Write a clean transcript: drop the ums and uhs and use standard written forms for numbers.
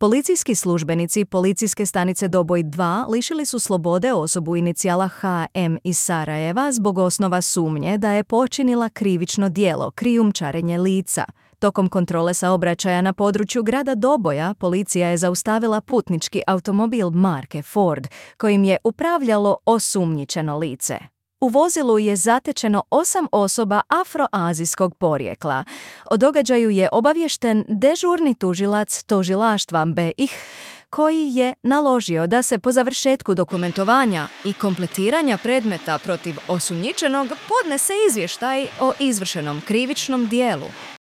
Policijski službenici policijske stanice Doboj 2 lišili su slobode osobu inicijala HM iz Sarajeva zbog osnova sumnje da je počinila krivično djelo krijumčarenje lica. Tokom kontrole saobraćaja na području grada Doboja policija je zaustavila putnički automobil marke Ford kojim je upravljalo osumnjičeno lice. U vozilu je zatečeno 8 osoba afroazijskog porijekla. O događaju je obaviješten dežurni tužilac tužilaštva BiH koji je naložio da se po završetku dokumentovanja i kompletiranja predmeta protiv osumnjičenog podnese izvještaj o izvršenom krivičnom djelu.